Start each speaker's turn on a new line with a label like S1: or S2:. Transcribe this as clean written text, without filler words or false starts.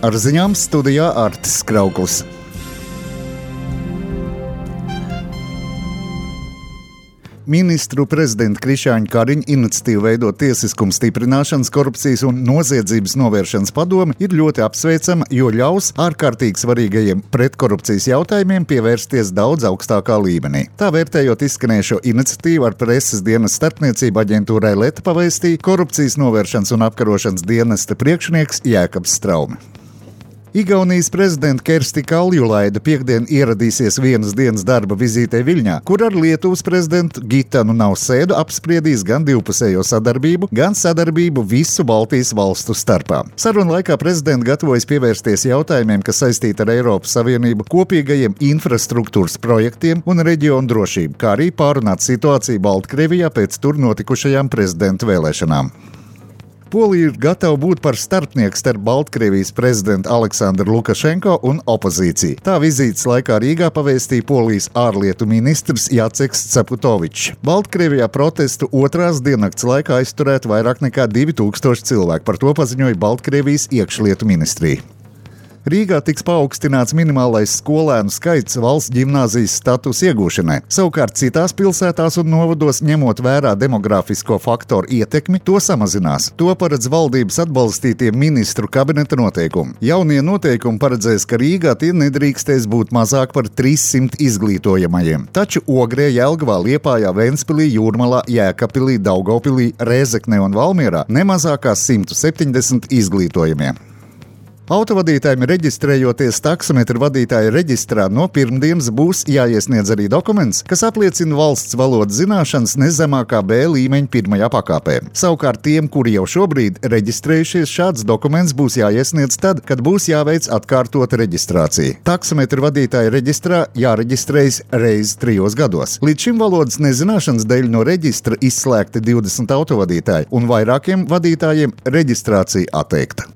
S1: Ar ziņām studijā Artis Krauklis. Ministru prezidenta Krišjāņa Kariņa iniciatīva veidot tiesiskumu stiprināšanas, korupcijas un noziedzības novēršanas padomi ir ļoti apsveicama, jo ļaus ārkārtīgi svarīgajiem pretkorupcijas jautājumiem pievērsties daudz augstākā līmenī. Tā vērtējot izskanējušo iniciatīvu ar preses dienas starpniecību aģentūrai Leta pavēstīja korupcijas novēršanas un apkarošanas dienesta priekšnieks Jēkabs Straume. Igaunijas prezidenta Kersti Kaljulaida piektdien ieradīsies vienas dienas darba vizītē Viļņā, kur ar Lietuvas prezidentu Gitanu Nausēdu apspriedīs gan divpusējo sadarbību, gan sadarbību visu Baltijas valstu starpā. Sarunu laikā prezidents gatavojas pievērsties jautājumiem, kas saistīti ar Eiropas Savienību, kopīgajiem infrastruktūras projektiem un reģionu drošību, kā arī pārunāt situāciju Baltkrievijā pēc tur notikušajām prezidenta vēlēšanām. Polija ir gatava būt par starpnieku starp Baltkrievijas prezidentu Aleksandru Lukašenko un opozīciju. Tā vizītes laikā Rīgā pavēstīja Polijas ārlietu ministrs Jaceks Ceputovičs. Baltkrievijā protestu otrās diennakts laikā aizturēt vairāk nekā 2000 cilvēku. Par to paziņoja Baltkrievijas iekšlietu ministrija. Rīgā tiks paaugstināts minimālais skolēnu skaits valsts ģimnāzijas statusa iegūšanai. Savukārt citās pilsētās un novados, ņemot vērā demografisko faktoru ietekmi, to samazinās. To paredz valdības atbalstītie ministru kabineta noteikumi. Jaunie noteikumi paredzēs, ka Rīgā tie nedrīkstēs būt mazāk par 300 izglītojamajiem. Taču Ogrē, Jelgavā, Liepājā, Ventspilī, Jūrmalā, Jēkabpilī, Daugavpilī, Rēzeknē un Valmierā nemazākā 170 izglītojamie. Autovadītājiem reģistrējoties taksometru vadītāja reģistrā no pirmdienas būs jāiesniedz arī dokuments, kas apliecina valsts valodas zināšanas nezemākā B līmeņa pirmajā pakāpē. Savukārt tiem, kuri jau šobrīd reģistrējušies, šāds dokuments būs jāiesniedz tad, kad būs jāveic atkārtota reģistrācija. Taksometru vadītāja reģistrā jāreģistrējas reizi 3 gados. Līdz šim valodas nezināšanas dēļ no reģistra izslēgti 20 autovadītāji un vairākiem vadītājiem reģistrācija atteikta.